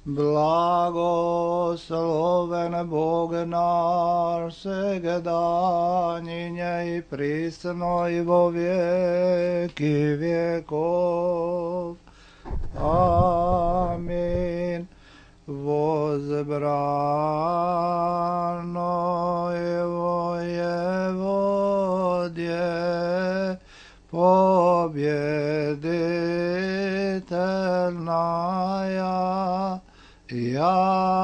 Blagosloven Bog naš, segedanje i prisno i vo vijeki vjekov. Amin. Возбрано его Еводье, победительная, яко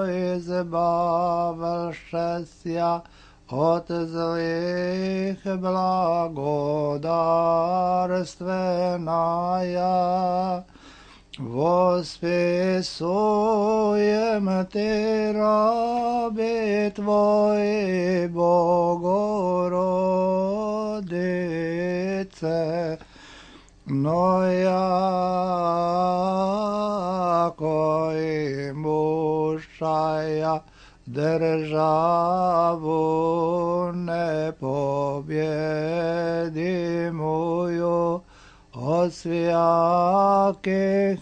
избавившися от злых благодарственная. Восписуем Ты, раби Твои, Богородице, но яко имущая державу непобедимую, от всяких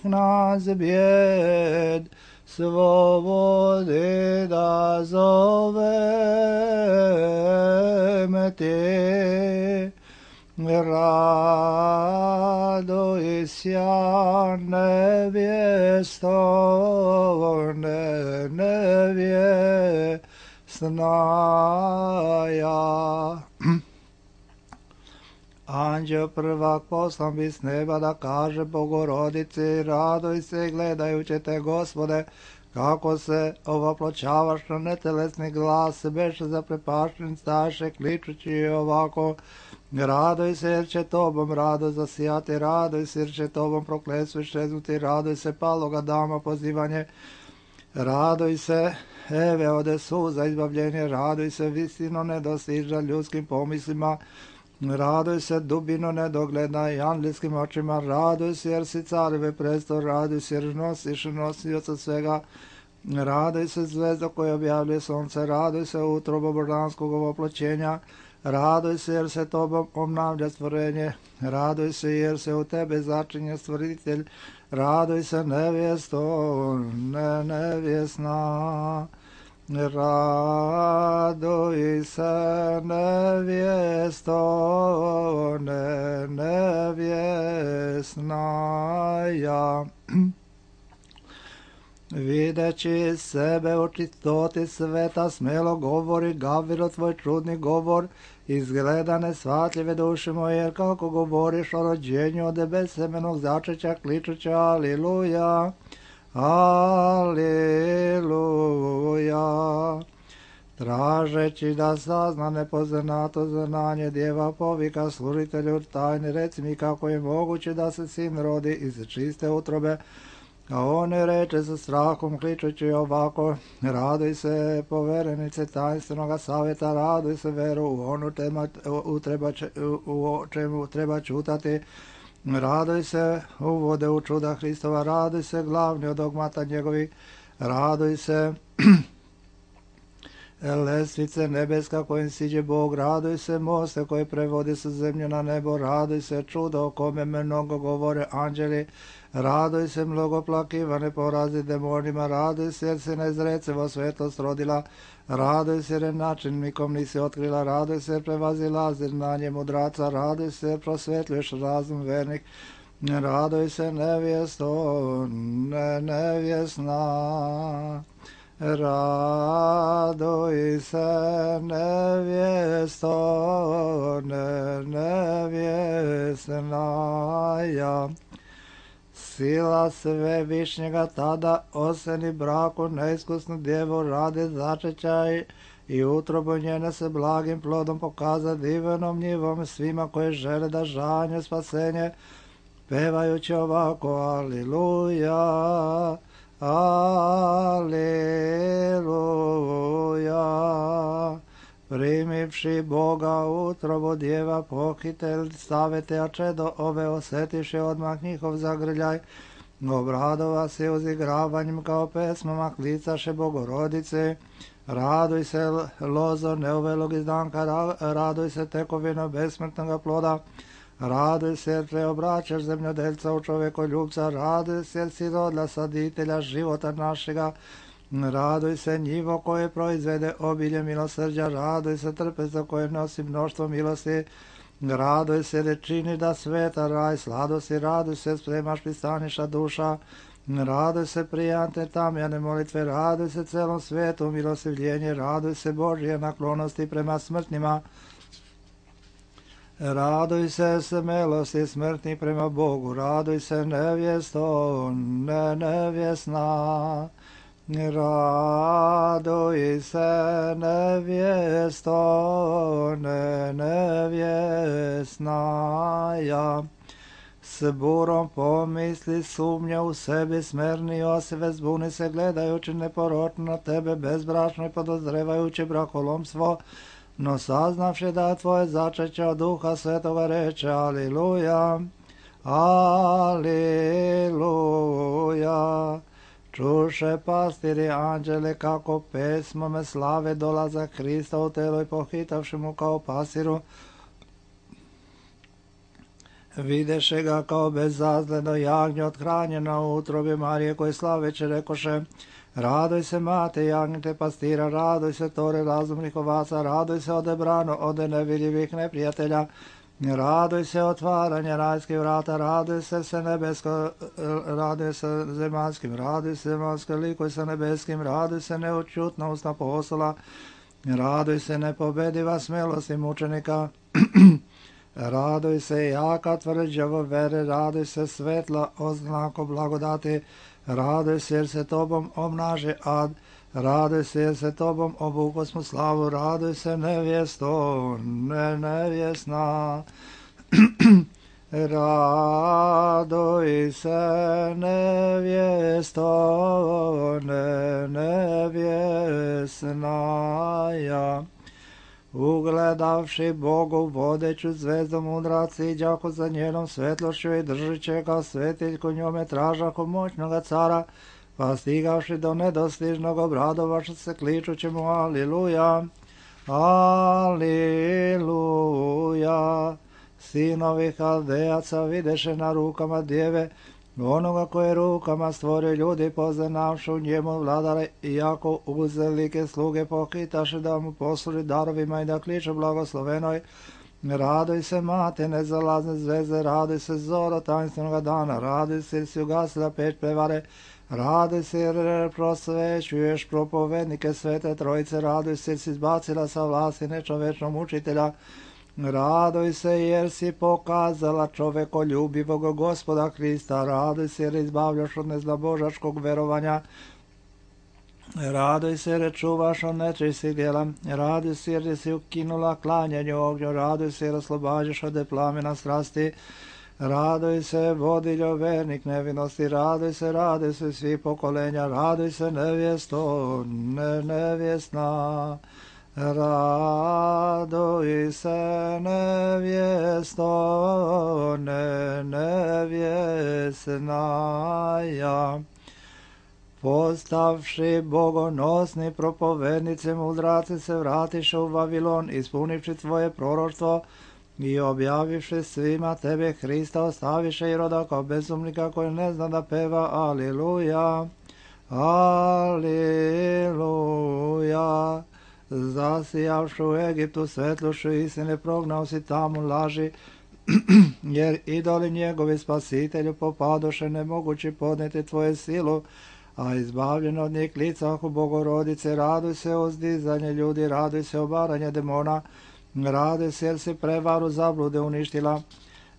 нас бед свободы дозовем Ты. Радуйся, невесто, невестная. Anđeo prvak poslan bi s neba da kaže Bogorodici, raduj se gledajući te, Gospode, kako se ovoploćavaš na netelesni glas, beše zaprepašten staše, kličući ovako, raduj se jer će tobom rado zasijati, raduj se jer će tobom prokletstvo iščeznuti, raduj se paloga dama pozivanje, raduj se Eve ode suza izbavljenje, raduj se visino nedostiža ljudskim pomislima, raduj se dubino nedogledna i angelskim očima, raduj se jer si careve prestol, raduj se jer nosiš nosioca svega, raduj se zvezda koja objavljuje sunce, raduj se utrobo božanskog ovoploćenja, raduj se jer se tobom obnavlja stvorenje, raduj se jer se u tebe začinje stvoritelj, raduj se nevjesto, nevjesna. Raduj se nevjesto, nevjesnaja. Videći sebe u čistoti sveta, smelo govori Gaviro tvoj čudni govor, izgleda nesvatljive duše moje, jer kako govoriš o rođenju od besemenog začeća, kličuća aliluja. Aleluja. Tražeći da sazna nepoznato znanje, djeva povika služitelju tajne, reci mi kako je moguće da se sin rodi iz čiste utrobe. A on reče sa strahom kličući ovako, raduj se poverenice tajnstvenog savjeta, raduj se veru u onu u čemu treba čutati, raduj se uvode u čuda Hristova, raduj se glavni od dogmata njegovih, raduj se lestvice nebeska kojim siđe Bog, raduj se moste koje prevode sa zemlje na nebo, raduj se čudo o kome mnogo govore anđeli, raduj se mnogo plakivane porazi demonima, raduj se jer se nezrecevo svetlost rodila, raduj se jer način nikom nisi otkrila, raduj se jer prevazilazi znanje mudraca, raduj se jer prosvetljuješ razum vernik, raduj se nevjesto, nevjesna. Raduj se nevjesto, nevjesnaja. Sila Svevišnjega tada oseni braku neiskusnu djevu radi začećaj i utrobu njene se blagim plodom pokaza divenom njivom svima koji žele da žanje spasenje, pevajući ovako aliluja. Aleluja. Primivši Boga utrobu djeva pohitelj stavete, a čedo ove osjetiše odmah njihov zagrljaj, obradova se uzigravanjem kao pesmama klicaše Bogorodice. Raduj se lozo neuvelog izdanka, raduj se tekovino besmrtnoga ploda, Raduj se jer preobraćaš zemljodelca u čovekoljubca, raduj se jer si rodila saditelja života našega, raduj se njivo koje proizvede obilje milosrđa, raduj se trpezo koje nosi mnoštvo milosti, raduj se jer činiš da sveta raj sladosti, raduj se spremaš pristaniša duša, raduj se prijante tamjane molitve, raduj se celom svetu milostivljenje, raduj se Božje naklonosti prema smrtnima, raduj se smelosti smrtni prema Bogu, raduj se nevjesto, nevjesna, raduj se nevjesto, nevjesna. S burom pomisli sumnja u sebi, smerni Josife, zbuni se gledajući neporočno na tebe, bezbračno i podozrevajući brakolomstvo, no saznavši da tvoje začeće od Duha Svetoga reče, aliluja, aliluja. Čuše pastiri anđele kako pesmome slave dolazak Hrista u telo i pohitavši mu kao pasiru, videše ga kao bezazleno jagnje othranjeno u utrobi Marije, koje slaveće rekoše, raduj se mate jagnjete pastira, raduj se tore razumnih ovaca, raduj se odebrano ode nevidljivih neprijatelja, raduj se otvaranje rajskih vrata, raduj se nebesko, raduj se zemaljskim, raduj se zemaljsko, likuj se nebeskim, raduj se neučutna usta apostola, raduj se nepobediva smelosti mučenika, raduj se jaka tvrđavo vere, raduj se svetla oznako blagodati, raduj se jer se tobom obnaži ad, raduj se jer se tobom obukosmo slavu, raduj se nevjesto, nevjesna, raduj se nevjesto, nevjesna. Ugledavši Bogu vodeću zvezdu mudraci, đako za njenom svetlošću i držiće ga svetiljku njome tražaku moćnoga cara, pa stigavši do nedostižnog obradovaša se kličući mu aliluja, aliluja. Sinovi Haldejaca videše na rukama djeve, onoga koje rukama stvore ljudi, poznavši u njemu vladare, iako uzelike sluge pohitaše da mu posluži darovima i da kliče blagoslovenoj, raduj se mate nezalazne zvezde, raduj se zoro tajnstvenog dana, raduj se jer si ugasila peć prevare, raduj se jer prosvećuješ propovednike svete trojice, raduj se jer si izbacila sa vlasti nečovečnog učitelja, raduj se jer si pokazala čovekoljubivog Gospoda Hrista, raduj se jer izbavljaš od nezlabožačkog verovanja, raduj se jer čuvaš od nečistih djela, raduj se jer si ukinula klanjanje ognju, raduj se jer oslobađaš od plamena strasti, raduj se vodiljo vernik nevinosti, raduj se svi pokolenja, raduj se nevjesto, nevjesna, raduj se nevjesto, nevjesna. Postavši bogonosni propovednici mudraci se vratiše u Vavilon, ispunivši tvoje proroštvo i objavivši svima tebe Hrista, ostaviše Iroda kao bezumnika koji ne zna da peva aliluja, aliluja. Zasijavši u Egiptu svetlošću istine, prognao si tamo laži, jer idoli njegovi spasitelju popadoše nemogući podneti tvoje silu, a izbavljen od njih licahu Bogorodice, raduj se o zdizanje ljudi, raduj se obaranje demona, raduj se jer si prevaru zablude uništila,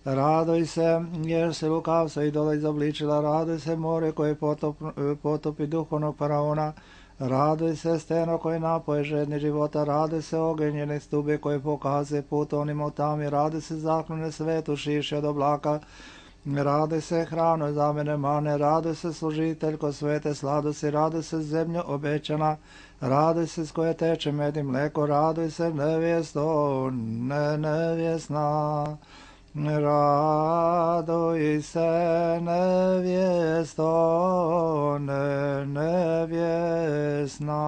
raduj se jer si lukavstvo idola izobličila, raduj se more koje potopi duhovnog faraona, raduj se steno koje napoje žedni života, raduj se ogenjene stube koje pokazuje put onim otami, raduj se zaklone svetu šiši od oblaka, raduj se hrano za mene mane, raduj se služiteljko svete sladosti, raduj se zemljo obećana, raduj se s koje teče med i mleko, raduj se nevjesto, nevjesna, raduj se nevjesto, nevjesna.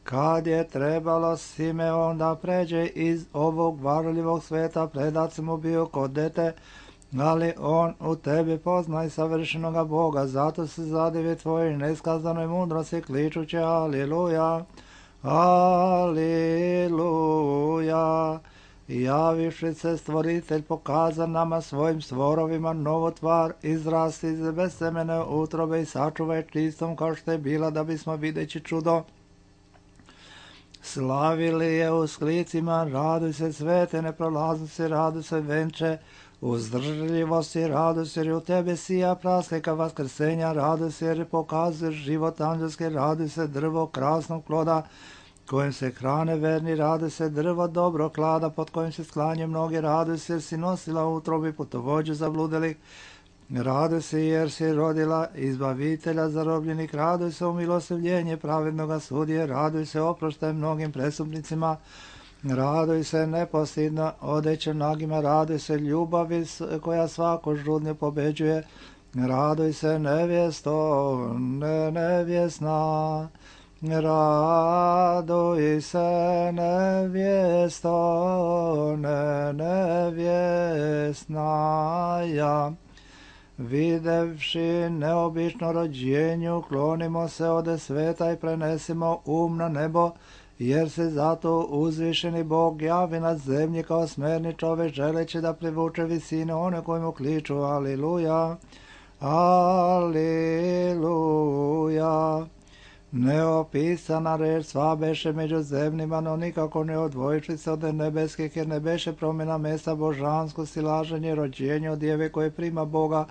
Kad je trebalo Simeon da pređe iz ovog varljivog sveta, predat mu bio kod dete, ali on u tebi poznaj savršenoga Boga, zato se zadivi tvojoj neskazanoj mudrosti, kličući Aliluja, Aliluja. Javivši se stvoritelj pokaza nama svojim stvorovima novu tvar, izrasti iz bezsemene utrobe i sačuvaj čistom kao što je bila, da bismo videći čudo slavili je u sklicima. Raduj se svete neprolaznosti, raduj se venče uzdržljivosti, raduj se jer u tebe sija praslika vaskrsenja, raduj se jer pokazuješ život anđelski, raduj se drvo krasnog ploda kojim se hrane verni, raduj se drvo dobro klada pod kojim se sklanje mnogi, raduj se jer si nosila u utrobi putovođu zabludelih, raduj se jer si rodila izbavitelja zarobljenih, raduj se umilostivljenje pravednoga sudije, raduj se oproštaj mnogim prestupnicima, raduj se nepostidno odećem nagima, raduj se ljubavi koja svako žudnje pobeđuje, raduj se nevjesto, nevjesna, raduj se nevjesto, nevjesna ja. Videvši neobično rođenju, klonimo se ode sveta i prenesimo na nebo, jer se zato uzvišeni Bog javi na zemlji kao smerni čovek, želeći da privuče visine one koji mu kliču Aliluja, Aliluja. Neopisana reč sva beše među zemljima, no nikako ne odvojiši se od nebeskih, jer ne beše promjena mesta božanskosti, laženje, rođenje od djeve koje prima Boga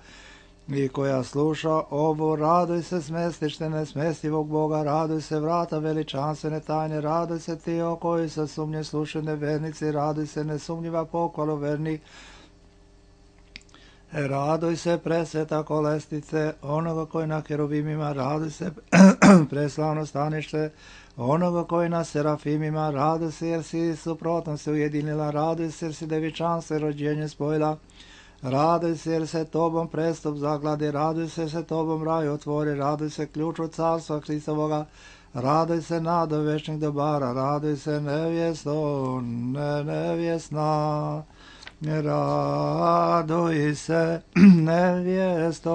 i koja sluša ovu. Raduj se smestište nesmestivog Boga, raduj se vrata veličanstvene tajne, raduj se ti o koji sa sumnje slušaju nevernici, raduj se nesumnjiva pohvalo vernih, raduj se presveta kolestice onoga koji na kerubimima, raduj se preslavno stanište onoga koji na serafimima, raduj se jer si suprotno se ujedinila, raduj se jer si devičanstvo i rođenje spojila, raduj se jer se tobom prestup zagladi, raduj se jer se tobom raj otvori, raduj se ključu carstva Hristovoga, raduj se nado večnih dobara, raduj se nevjesto, nevjesna, raduj se nevjesto,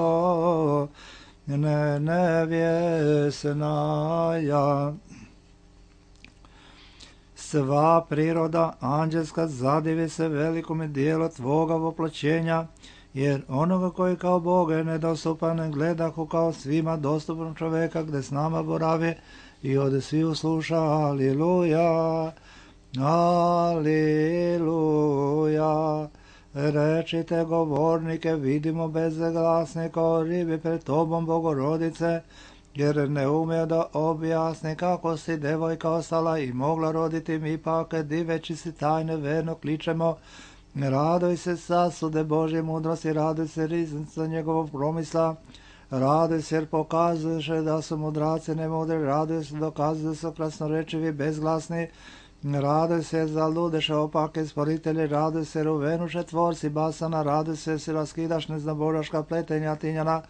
nevjesna ja. Sva priroda anđelska zadivi se velikome dijelu tvoga voploćenja, jer onoga koji kao Boga je nedostupan gledahu kao svima dostupan čoveka, gde s nama boravi i ode svi usluša Aliluja, Aliluja. Rečite govornike, vidimo bezglasne kao ribi pred tobom Bogorodice, jer ne ume da objasni kako si devojka ostala i mogla roditi, mi pak diveći si tajne verno kličemo, raduj se sasude Božje mudrosti, raduj se riznica njegovog promisla, raduj se jer pokazuješ da su mudraci nemudri, raduj se dokazuju da su krasnorečivi bezglasni, raduj se za ludeše opake sporitelji, raduj se ruvenuše tvorci basana, raduj se si raskidaš neznaboraška pletenja tinjana,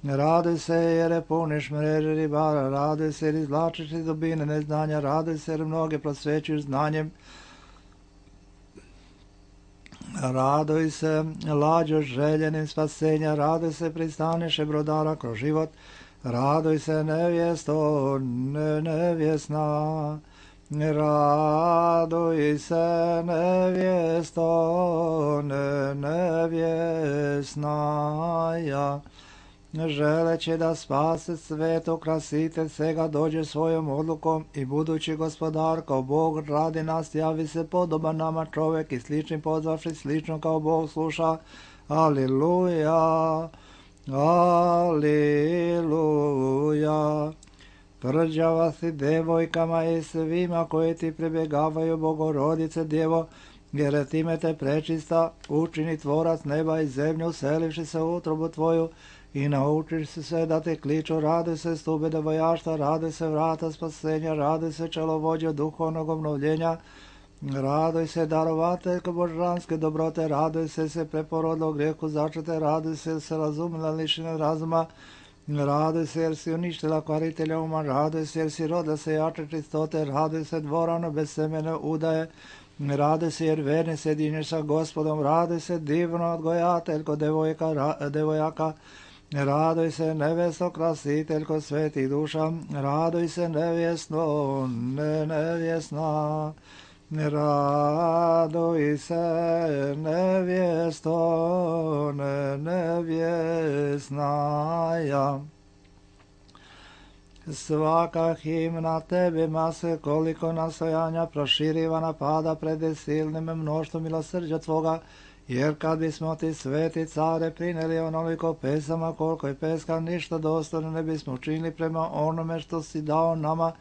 raduj se jer je puniš mreže ribara, raduj se jer izvlačiš iz dubine neznanja, raduj se jer mnoge prosvećuješ znanjem, raduj se lađo željenim spasenja, raduj se pristaniše brodara kroz život, raduj se nevjesto, nevjesna, raduj se nevjesto, nevjesna ja. Želeći da spase svet, okrasitelj svega dođe svojom odlukom i budući gospodar kao Bog radi nas, javi se podoban nama čovek i slični pozvavši slično kao Bog sluša. Aliluja, aliluja. Tvrđava si devojkama i svima koji ti pribjegavaju Bogorodice Djevo, jer time te prečista učini tvorac neba i zemlju, uselivši se u utrobu tvoju, i naučiš se sve da te kliču, raduj se stube devojašta, raduj se vrata spasenja, raduj se čelovođe duhovnog obnovljenja, raduj se darovateljko božanske dobrote, raduj se preporodilo grijehu začete, raduj se razumila lišine razuma, Raduj se jer si uništila kvaritelja uma, raduj se jer si roda se jače čistote, raduj se dvorano bez semene udaje, raduj se jer verni se jedinješ sa Gospodom, raduj se divno odgojateljko devojaka, raduj se nevesto krasiteljko svetih duša, raduj se nevjesno, nevjesna, raduj se nevjesto, nevjesnaja. Svaka himna tebima se koliko nastojanja proširivana pada pred silnim mnoštvom milosrđa tvoga, jer kad bismo ti sveti care prineli onoliko pesama koliko je peska, ništa dostojno ne bismo učinili prema onome što si dao nama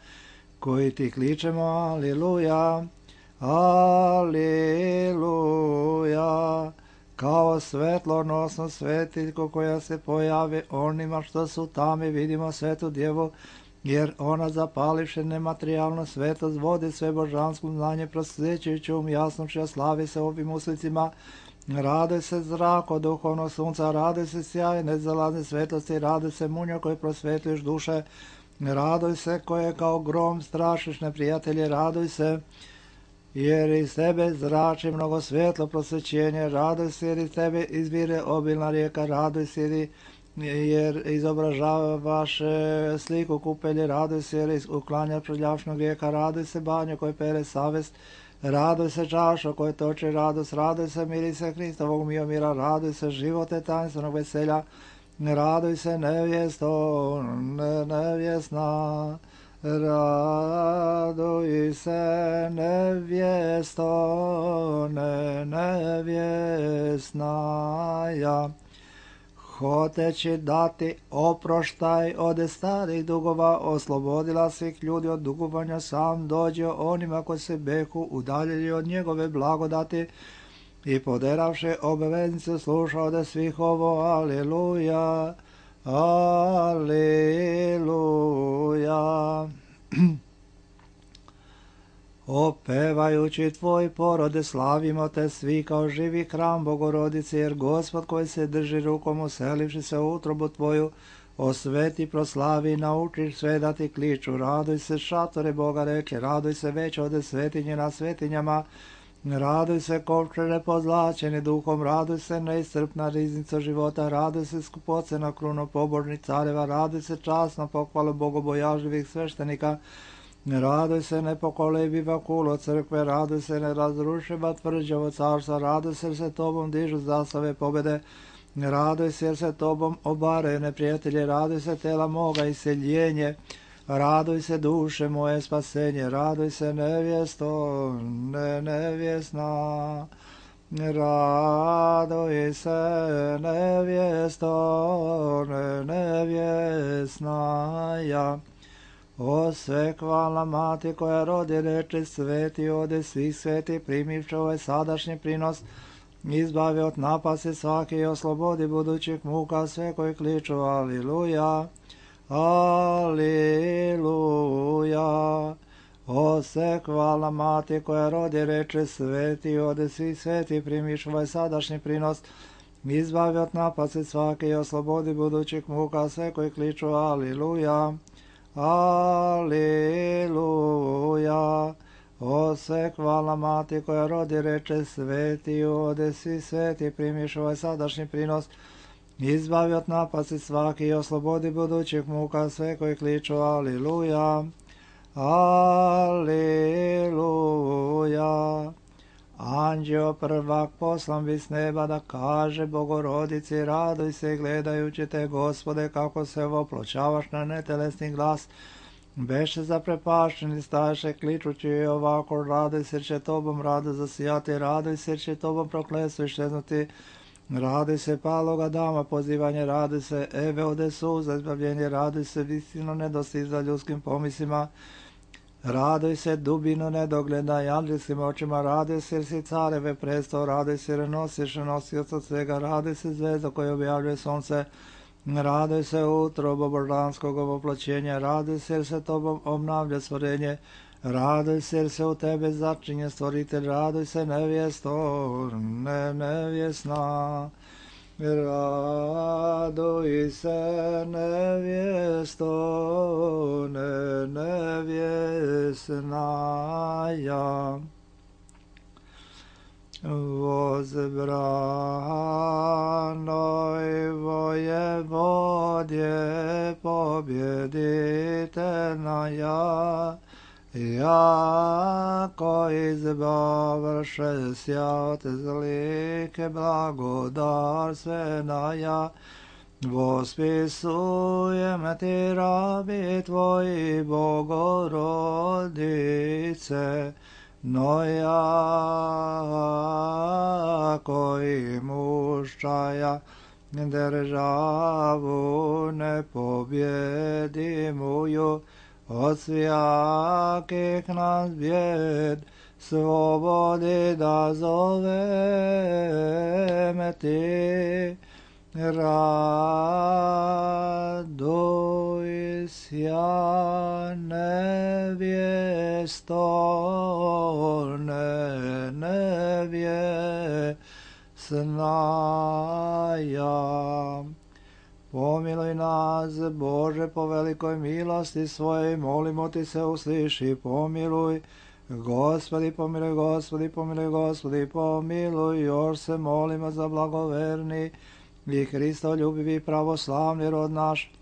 koji ti kličemo aliluja, aliluja. Kao svetlonosnu svetiljku koja se pojavi onima što su tamo, vidimo svetu djevu, jer ona zapalivše nematerijalno svetost vodi sve božansko znanje prosvećujući jasnošća, slavi se ovim uslicima. Raduj se zrako duhovnog sunca, raduj se sjaj nezalazne svetlosti, raduj se munjo koji prosvetuješ duše, raduj se koje kao grom strašiš neprijatelje, raduj se jer iz tebe zrači mnogo svjetlo prosvećenje, raduj se jer iz tebe izvire obilna rijeka, raduj se jer izobražavaš sliku kupelje, raduj se jer uklanja prljavšnog rijeka, raduj se banjo koje pere savest, raduj se čašo koje toči radost, raduj se mirise Hristovog mira, raduj se živote tajnstvenog veselja, raduj se nevjesto, nevjesna, raduj se nevjesto, nevjesnaja. Hoteći dati oproštaj od starih dugova, oslobodila svih ljudi od dugovanja, sam dođe onima koji se behu udaljili od njegove blagodati i poderavši obaveznicu slušao da svih ovo aliluja, aliluja. Opevajući tvoj porode, slavimo te svi kao živi hram Bogorodice, jer Gospod koji se drži rukom uselivši se u utrobu tvoju, osveti, proslavi, naučiš sve da ti kliču. Raduj se šatore Boga reče, raduj se već ode svetinje na svetinjama, raduj se kovčere pozlačeni duhom, raduj se neiscrpna riznica života, raduj se skupocena kruno pobožnih careva, raduj se časna pohvala bogobojažljivih sveštenika, raduj se nepokolebiva kulo crkve, raduj se nerazrušiva tvrđavo carstva, raduj se jer se tobom dižu zastave pobjede, raduj se jer se tobom obaraju neprijatelje, raduj se tela moga iseljenje, raduj se duše moje spasenje, raduj se nevjesto, nevjesna, raduj se nevjesto, nevjesnaja. O sve hvalna mati koja rodi reče sveti ode svih sveti, primivši ovaj sadašnji prinos, izbavi od napasti svaki i oslobodi budućih muka sve koji kliču aliluja, aliluja. O sve hvalna mati koja rodi reče sveti ode svih sveti, primivši ovaj sadašnji prinos, izbavi od napasti svaki i oslobodi budućih muka sve koji kliču aliluja, aliluja. O sve hvalna mati koja rodi reče sveti ode svi sveti, primiš ovaj sadašnji prinos, izbavi od napasti svaki i oslobodi budućih muka sve koji kliču aliluja, aliluja. Anđeo prvak poslan bi s neba da kaže Bogorodici, raduj se gledajući te, Gospode, kako se opločavaš na netelesni glas. Beše zaprepašćeni staše kličući ovako, raduj se jer će tobom rado zasijati, raduj se jer će tobom prokletstvo iščeznuti, raduj se paloga dama pozivanje, raduj se Eve ode suza izbavljenje, raduj se visino nedostiza ljudskim pomislima, raduj se dubino nedogleda i anđelskim očima, raduj se jer si careve prestao, raduj se jer nosiš nosioca svega, raduj se zvezda koja objavljuje sunce, raduj se utrobo božanskog oploćenja, raduj se jer se tobom obnavlja stvorenje, raduj se jer se u tebe začinje stvoritelj, raduj se nevjesto, nevjesna, Radoj se nevjesto, nevjesnaja, возбранoj воеводje победительная, jako izbavše sja od zlike blagodarstvenaja, vospisujem ti rabi tvoji Bogorodice, no jako imuščaja državu nepobjedimuju, od svijakih nas bjed, slobodi da zoveme ti, raduj sja nevjesto, nevjesnaja. Pomiluj nas, Bože, po velikoj milosti svojej, molimo ti se, usliši, pomiluj. Gospodi, pomiluj, Gospodi, pomiluj, Gospodi, pomiluj. Još se molimo za blagoverni i Hristoljubivi pravoslavni rod naš.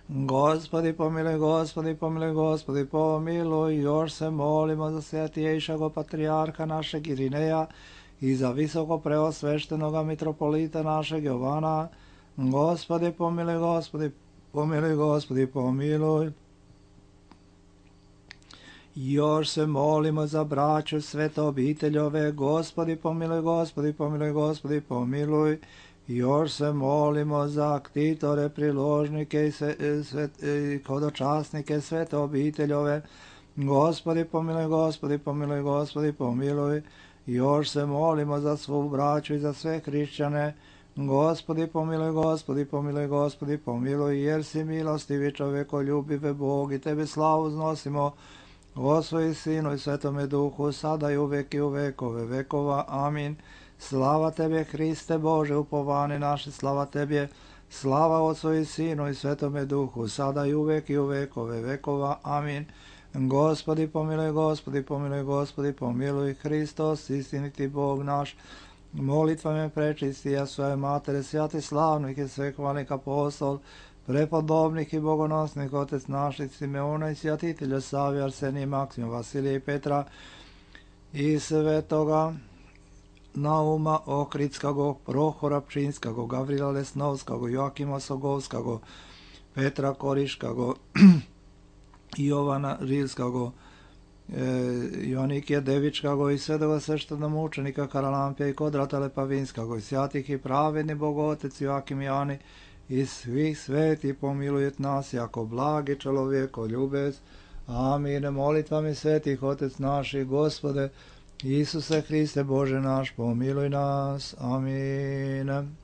Gospodi, pomiluj, Gospodi, pomiluj, Gospodi, pomiluj. Još se molimo za svetijejšago patrijarha našeg Irineja i za visoko preosveštenoga mitropolita našeg Jovana. Gospodi, pomiluj, Gospodi, pomiluj, Gospodi, pomiluj. Još se molimo za braću svete obiteljove. Gospodi, pomiluj, Gospodi, pomiluj, Gospodi, pomiluj. Još se molimo za ktitore, priložnike i hodočasnike svete obiteljove. Gospodi, pomiluj, Gospodi, pomiluj, Gospodi, pomiluj. Još se molimo za svu braću i za sve hrišćane. Gospodi, pomiluj, Gospodi, pomiluj, Gospodi, pomiluj, jer si milostivi, čovekoljubive Bog, i tebe slavu znosimo, o svoj Sinu i Svetome Duhu, sada i uvek i u vekove vekova. Amin. Slava tebe, Hriste Bože, upovani naše, slava tebe, slava Otcu i Sinu i Svetome Duhu, sada i uvek i u vekove vekova. Amin. Gospodi, pomiluj, Gospodi, pomiluj, Gospodi, pomiluj, Hristos, istiniti Bog naš, molitvama prečistija svoje matere, svjati slavnih i svehvalnih apostol, prepodobnih i bogonosnih, otec naših Simeona i svjatitelja Savija, Arsenija, Maksimija, Vasilija i Petra i svetoga Nauma Ohridskog, Prohora Pčinskog, Gavrila Lesnovskog, Joakima Sogovskog, Petra Koriškog, Jovana Rilskog, Jonikija Devičkog i svetoga sveštenomučenika Karalampija i Kodrata Lepavinskog, i svjatih i pravedni Bogotec Joakim Jani i svih sveti pomilujet nas jako blagi čelovjeko ljubez. Amin. Molitvami svetih Otec naših, Gospode Isuse Hriste Bože naš, pomiluj nas. Amin.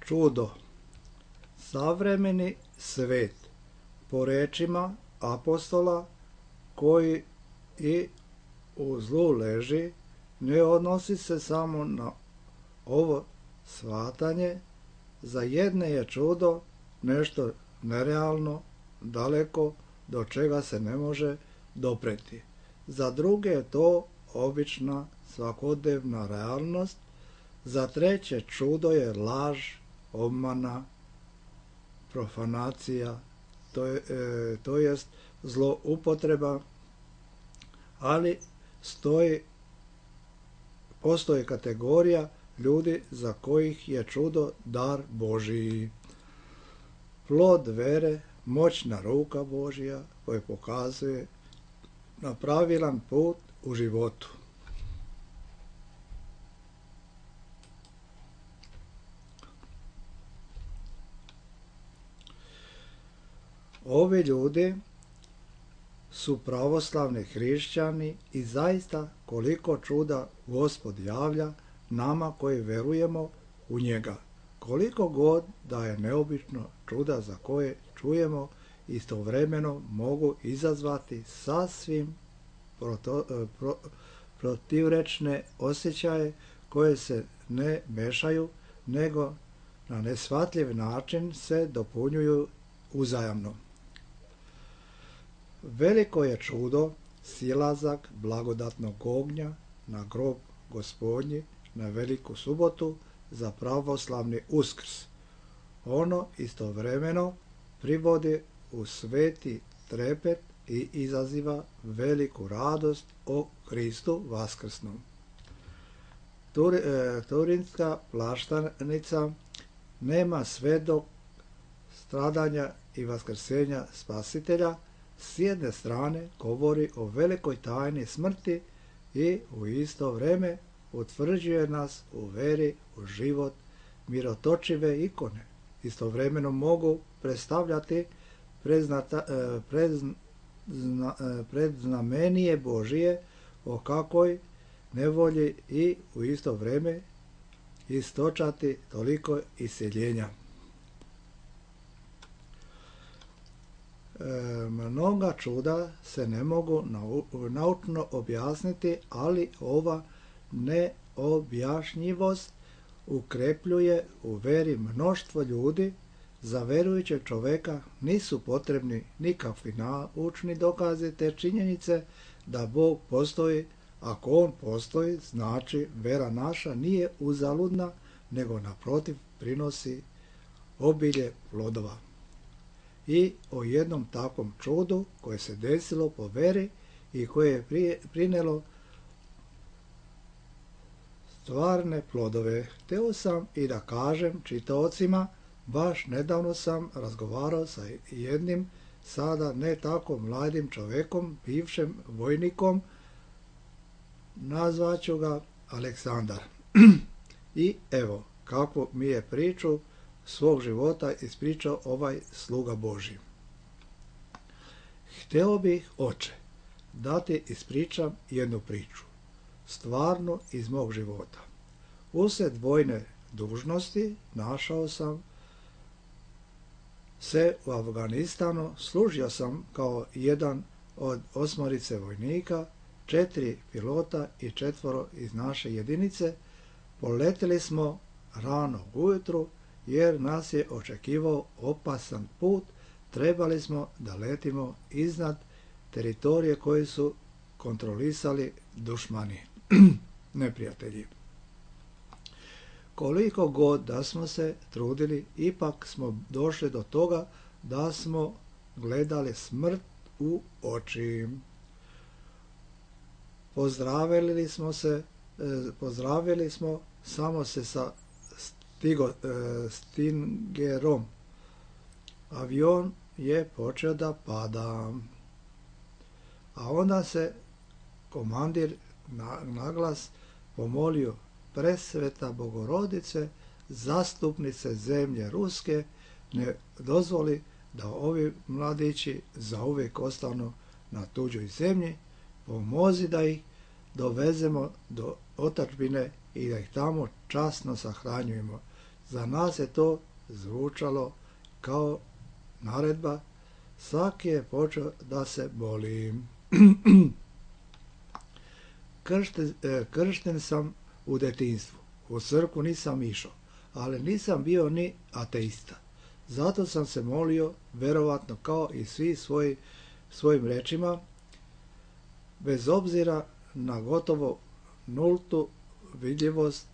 čudo. Savremeni svet, po rečima apostola koji i u zlu leži, ne odnosi se samo na ovo shvatanje. Za jedne je čudo nešto nerealno, daleko, do čega se ne može dopreti. Za druge je to obična svakodnevna realnost. Za treće čudo je laž, obmana, profanacija, to jest zloupotreba, ali postoji kategorija ljudi za kojih je čudo dar Božiji. Plod vere, moćna ruka Božja koja pokazuje na pravilan put u životu. Ovi ljudi su pravoslavni hrišćani i zaista koliko čuda Gospod javlja nama koji verujemo u njega. Koliko god da je neobično čuda za koje čujemo, istovremeno mogu izazvati sasvim protivrečne osjećaje koje se ne mešaju, nego na neshvatljiv način se dopunjuju uzajamno. Veliko je čudo silazak blagodatnog ognja na grob Gospodnji na Veliku subotu za pravoslavni Uskrs. Ono istovremeno privodi u sveti trepet i izaziva veliku radost o Kristu vaskrsnom. Turinska plaštanica nema svedok stradanja i vaskrsenja Spasitelja. S jedne strane govori o velikoj tajni smrti i u isto vrijeme utvrđuje nas u veri u život. Mirotočive ikone istovremeno mogu predstavljati predznamenije Božije o kakvoj nevolji i u isto vrijeme istočati toliko iseljenja. Mnoga čuda se ne mogu naučno objasniti, ali ova neobjašnjivost ukrepljuje u veri mnoštvo ljudi. Za verujućeg čoveka nisu potrebni nikakvi naučni dokazi te činjenice da Bog postoji. Ako on postoji, znači vera naša nije uzaludna, nego naprotiv prinosi obilje plodova. I o jednom takvom čudu koje se desilo po veri i koje je prinelo stvarne plodove. Hteo sam i da kažem čitaocima, baš nedavno sam razgovarao sa jednim sada ne tako mladim čovekom, bivšim vojnikom, nazvaću ga Aleksandar. I evo kako mi je priču svog života ispričao ovaj sluga Božji. Hteo bih, oče, da ti ispričam jednu priču, stvarno iz mog života. Usred vojne dužnosti našao sam se u Afganistanu, služio sam kao jedan od 8 vojnika, 4 pilota i 4 iz naše jedinice. Poletili smo rano ujutru jer nas je očekivao opasan put. Trebali smo da letimo iznad teritorije koje su kontrolisali dušmani, neprijatelji. Koliko god da smo se trudili, ipak smo došli do toga da smo gledali smrt u oči. Pozdravili smo samo se sa Stingerom. Avion je počeo da pada. A onda se komandir naglas pomolio: Presveta Bogorodice, zastupnice zemlje Ruske, ne dozvoli da ovi mladići zauvijek ostanu na tuđoj zemlji, pomozi da ih dovezemo do otadžbine i da ih tamo časno sahranjujemo. Za nas je to zvučalo kao naredba. Svaki je počeo da se boli. Kršten sam u detinjstvu. U crkvu nisam išao, ali nisam bio ni ateista. Zato sam se molio, verovatno kao i svi svojim rečima, bez obzira na gotovo nultu vidljivost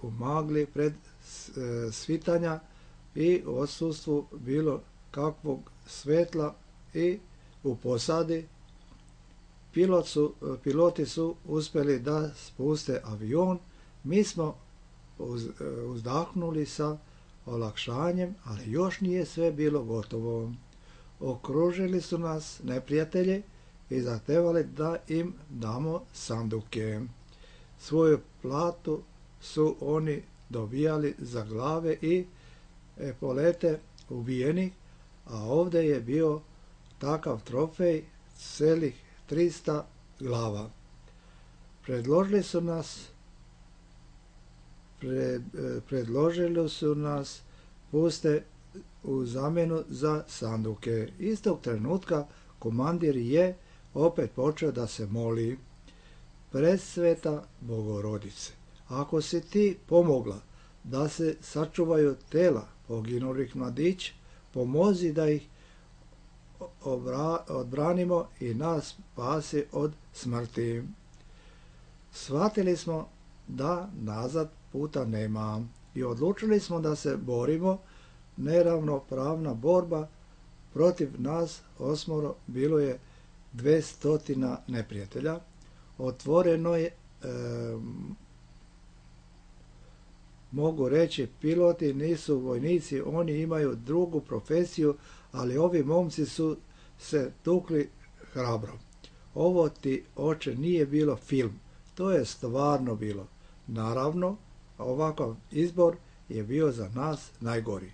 u magli pred svitanja i odsustvu bilo kakvog svetla i u posadi. Piloti su uspjeli da spuste avion. Mi smo uzdahnuli sa olakšanjem, ali još nije sve bilo gotovo. Okružili su nas neprijatelji i zahtevali da im damo sanduke. Svoju platu su oni dobijali za glave i epolete ubijenih, a ovdje je bio takav trofej celih 300 glava. Predložili su nas puste u zamjenu za sanduke. Istog trenutka komandir je opet počeo da se moli: Presveta Bogorodice, ako si ti pomogla da se sačuvaju tela poginulih mladića, pomozi da ih odbranimo i nas spasi od smrti. Shvatili smo da nazad puta nema i odlučili smo da se borimo. Neravnopravna borba protiv nas osmoro, bilo je 200 neprijatelja. Otvoreno je, mogu reći, piloti nisu vojnici, oni imaju drugu profesiju, ali ovi momci su se tukli hrabro. Ovo ti, oče, nije bilo film, to je stvarno bilo. Naravno, ovakav izbor je bio za nas najgori.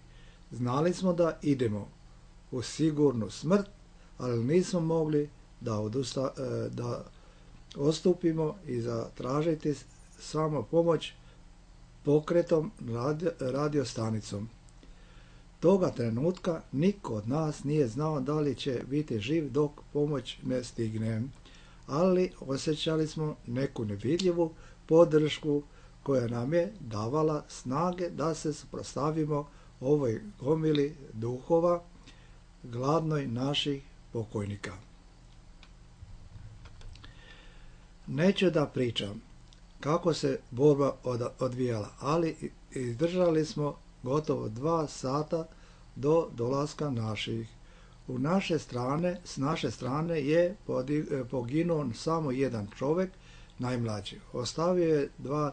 Znali smo da idemo u sigurnu smrt, ali nismo mogli da odstupimo i zatražiti samo pomoć pokretom radiostanicom. Toga trenutka niko od nas nije znao da li će biti živ dok pomoć ne stigne, ali osjećali smo neku nevidljivu podršku koja nam je davala snage da se suprotstavimo ovoj gomili duhova, gladnoj naših pokojnika. Neću da pričam kako se borba odvijala, ali izdržali smo gotovo 2 sata do dolaska naših. S naše strane je poginuo samo jedan čovjek, najmlađi. Ostavio je 2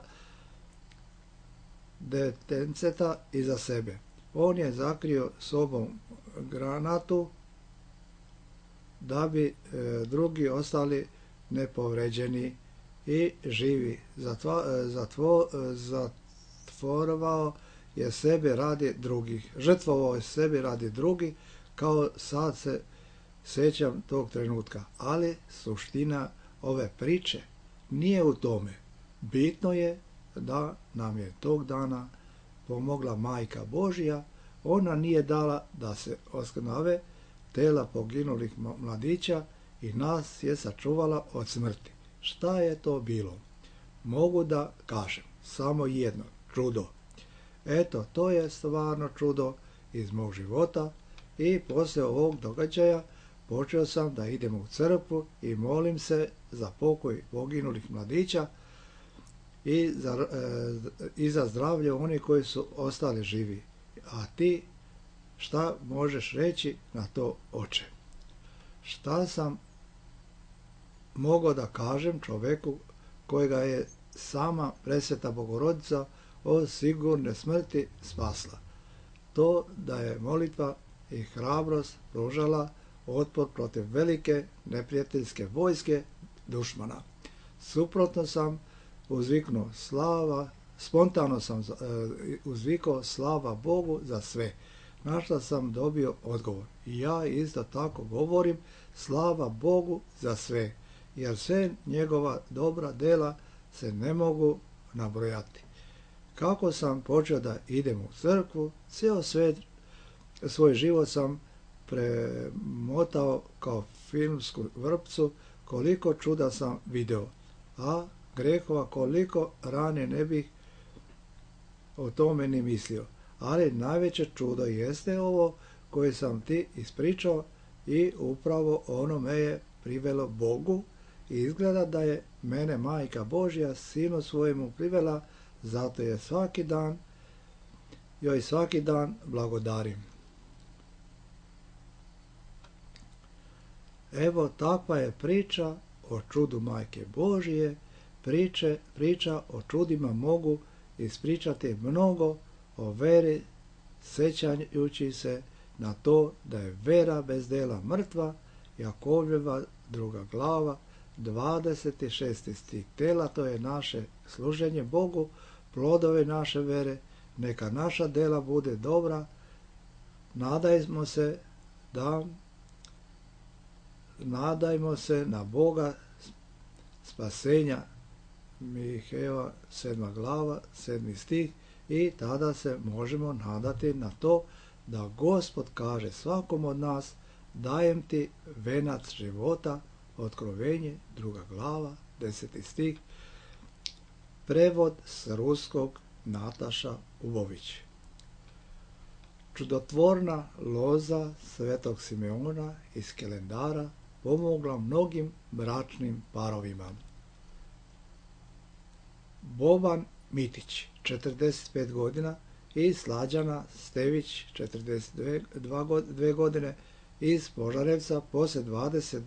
detenceta iza sebe. On je zakrio sobom granatu da bi drugi ostali nepovređeni i živi. Žrtvovao je sebe radi drugih, kao sad se sjećam tog trenutka. Ali suština ove priče nije u tome. Bitno je da nam je tog dana pomogla Majka Božja. Ona nije dala da se oskrnave tela poginulih mladića i nas je sačuvala od smrti. Šta je to bilo? Mogu da kažem samo jedno: čudo. Eto, to je stvarno čudo iz mog života i poslije ovog događaja počeo sam da idem u crkvu i molim se za pokoj poginulih mladića i za zdravlje onih koji su ostali živi. A ti šta možeš reći na to, oče? Šta sam mogao da kažem čovjeku kojega je sama Presveta Bogorodica od sigurne smrti spasla? To da je molitva i hrabrost pružala otpor protiv velike neprijateljske vojske dušmana. Suprotno sam uzviknuo spontano sam uzvikao slava Bogu za sve, na što sam dobio odgovor. I ja isto tako govorim slava Bogu za sve, jer sve njegova dobra dela se ne mogu nabrojati. Kako sam počeo da idem u crkvu, svoj život sam premotao kao filmsku vrpcu, koliko čuda sam video, a grehova koliko rane ne bih o tome ni mislio. Ali najveće čudo jeste ovo koje sam ti ispričao i upravo ono me je privelo Bogu i izgleda da je mene Majka Božja Sinu svojemu privela, zato je svaki dan blagodarim. Evo takva je priča o čudu Majke Božje. Priča o čudima mogu ispričati mnogo o veri, sjećajući se na to da je vera bez dela mrtva. Jakovljeva 2. glava, 26. stih. Tela, to je naše služenje Bogu, plodove naše vere, neka naša dela bude dobra. Nadajmo se na Boga spasenja, Mihejeva 7. glava, 7. stih, i tada se možemo nadati na to da Gospod kaže svakom od nas: dajem ti venac života, Otkrovenje 2. glava, 10. stih. Prevod s ruskog Nataša Ubović. Čudotvorna loza Svetog Simeona iz Kelendara pomogla mnogim bračnim parovima. Boban Mitić, 45 godina, i Slađana Stević, 42 godine, iz Požarevca, poslije 20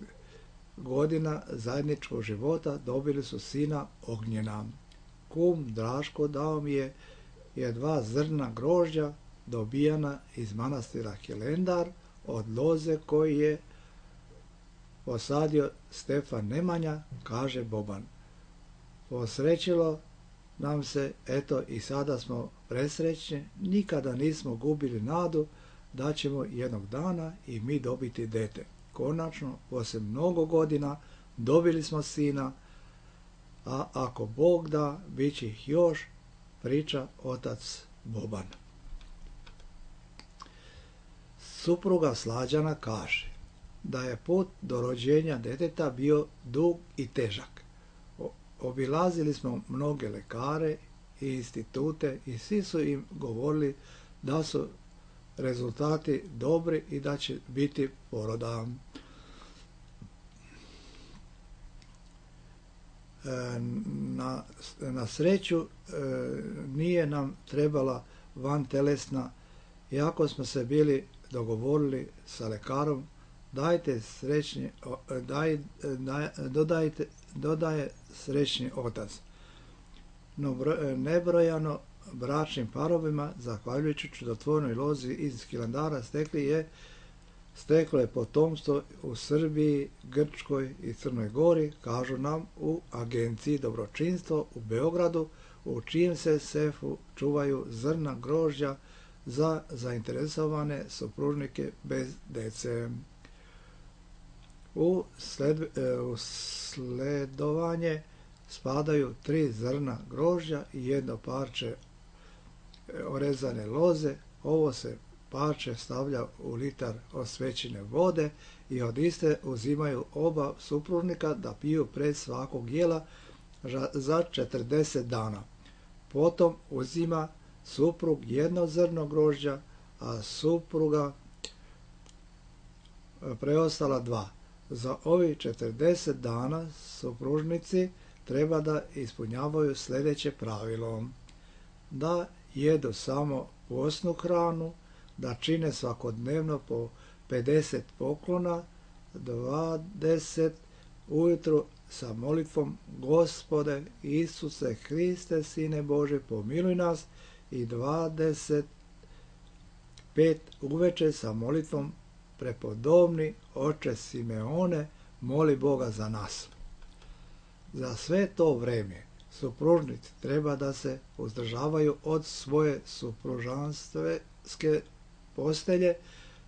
godina zajedničkog života dobili su sina Ognjena. Kum Draško dao mi je 2 zrna grožđa dobijana iz manastira Kelendar od loze koji je posadio Stefan Nemanja, kaže Boban. Posrećilo nam se, eto i sada smo presrećni, nikada nismo gubili nadu da ćemo jednog dana i mi dobiti dete. Konačno, poslije mnogo godina, dobili smo sina, a ako Bog da, bit će ih još, priča otac Boban. Supruga Slađana kaže da je put do rođenja deteta bio dug i težak. Obilazili smo mnoge lekare i institute i svi su im govorili da su rezultati dobri i da će biti poroda. Na sreću nije nam trebala vantelesna, iako smo se bili dogovorili sa lekarom, dodaje srećni otac. No nebrojano bračnim parovima, zahvaljujući čudotvornoj lozi iz Kelendara, steklo je potomstvo u Srbiji, Grčkoj i Crnoj Gori, kažu nam u Agenciji dobročinstvo u Beogradu, u čijem se sefu čuvaju zrna grožđa za zainteresovane supružnike bez dece. U sledovanje spadaju 3 zrna grožđa i 1 parče orezane loze. Ovo se parče stavlja u litar osvećene vode i od iste uzimaju oba supružnika da piju pred svakog jela za 40 dana. Potom uzima suprug 1 zrno grožđa, a supruga preostala 2. Za ovih 40 dana supružnici treba da ispunjavaju sljedeće pravilo: da jedu samo postnu hranu, da čine svakodnevno po 50 poklona, 20 ujutru sa molitvom: Gospode Isuse Hriste, Sine Bože, pomiluj nas, i 25 uveče sa molitvom: Prepodobni Oče Simeone, moli Boga za nas. Za sve to vreme supružnici treba da se uzdržavaju od svoje supružanstvenske postelje.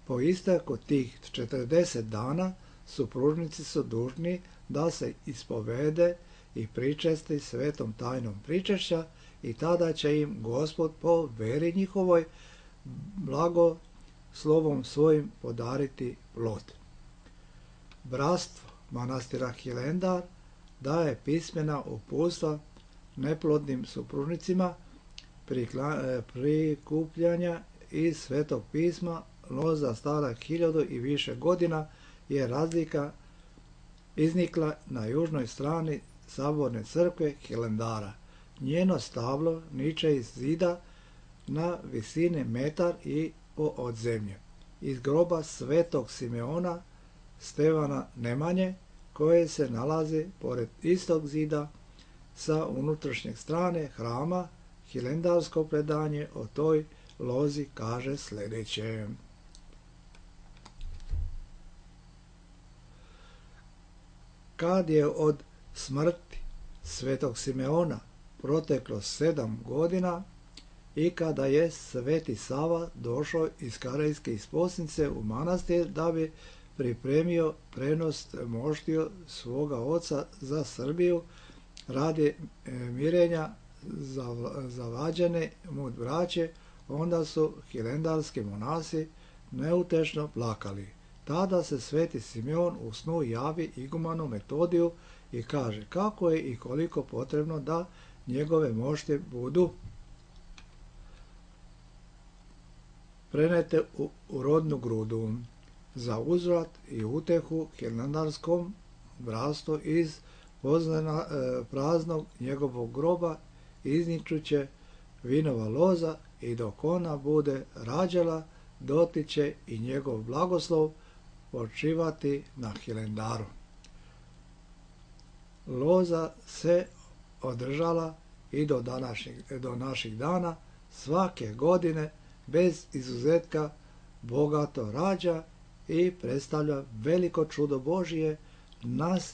Po isteku tih 40 dana supružnici su dužni da se ispovede i pričesti svetom tajnom pričešća i tada će im Gospod po veri njihovoj blago slovom svojim podariti plod. Bratstvo manastira Hilendar daje pismena uputstva neplodnim supružnicima prikupljanja iz Svetog pisma. Loza stara 1000 i više godina je razlika iznikla na južnoj strani saborne crkve Hilendara. Njeno stablo niče iz zida na visini metar i po od zemlje. Iz groba Svetog Simeona Stevana Nemanje, koje se nalazi pored istog zida sa unutrašnje strane hrama, hilendarsko predanje o toj lozi kaže sljedeće. Kad je od smrti Svetog Simeona proteklo 7 godina i kada je Sveti Sava došao iz Karejske isposnice u manastir da bi pripremio prenos moštiju svoga oca za Srbiju radi mirenja zavađene mu braće, onda su hilendarski monasi neutešno plakali. Tada se Sveti Simeon u snu javi igumanu Metodiju i kaže kako je i koliko potrebno da njegove mošte budu prenete u rodnu grudu. Za uzvrat i utehu hilendarskom bratstvu iz praznog njegovog groba izničuće vinova loza i dok ona bude rađala, dotiče i njegov blagoslov počivati na Hilendaru. Loza se održala i do naših dana, svake godine bez izuzetka bogato rađa i predstavlja veliko čudo Božije.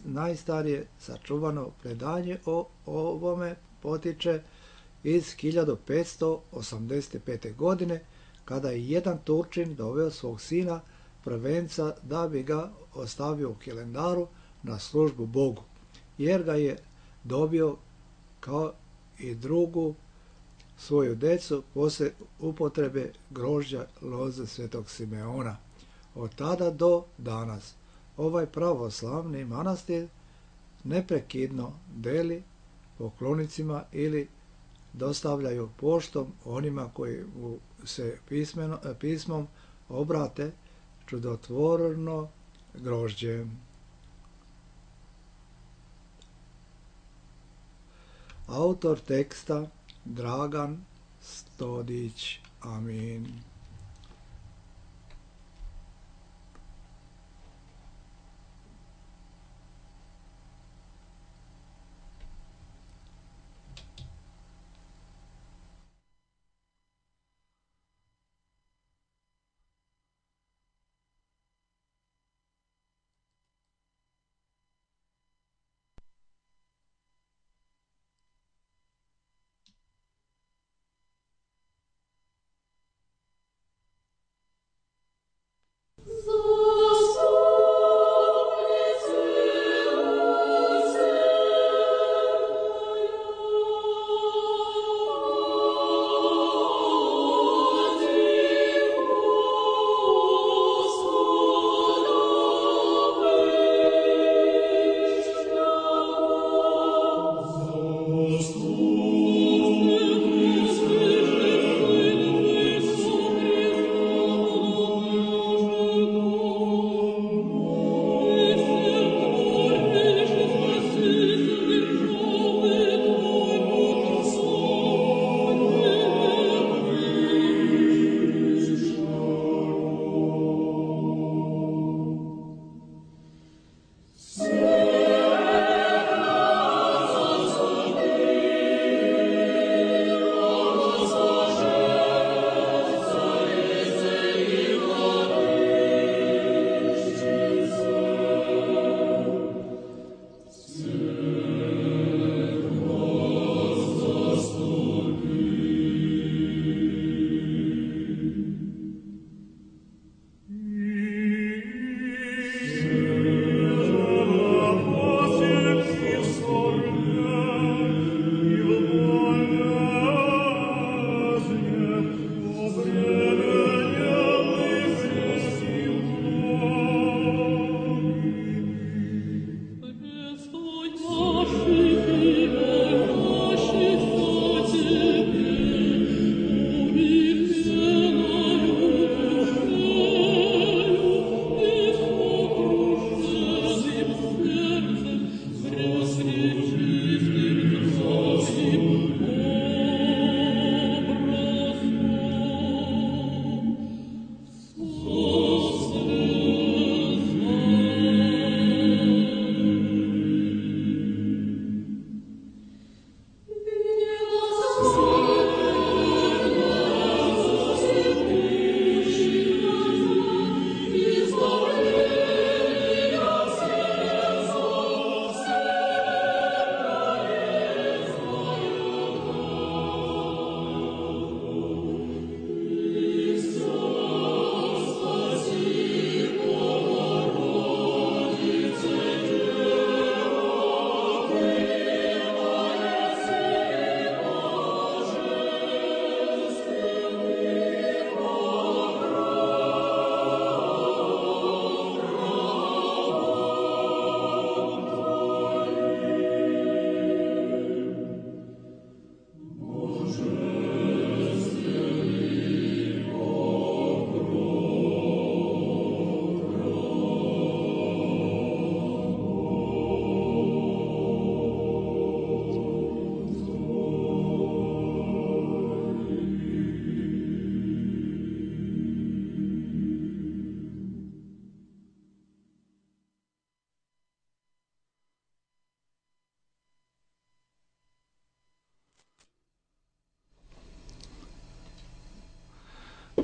Najstarije sačuvano predanje o ovome potiče iz 1585. godine, kada je jedan Turčin doveo svog sina prvenca da bi ga ostavio u Hilendaru na službu Bogu, jer ga je dobio kao i drugu svoju decu poslije upotrebe grožđa loze Svetog Simeona. Od tada do danas ovaj pravoslavni manastir neprekidno deli poklonicima ili dostavljaju poštom onima koji se pismom obrate čudotvorno grožđe. Autor teksta Dragan Stodić. Amin.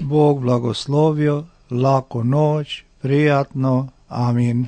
Bog blagoslovio, laku noć, prijatno, amin.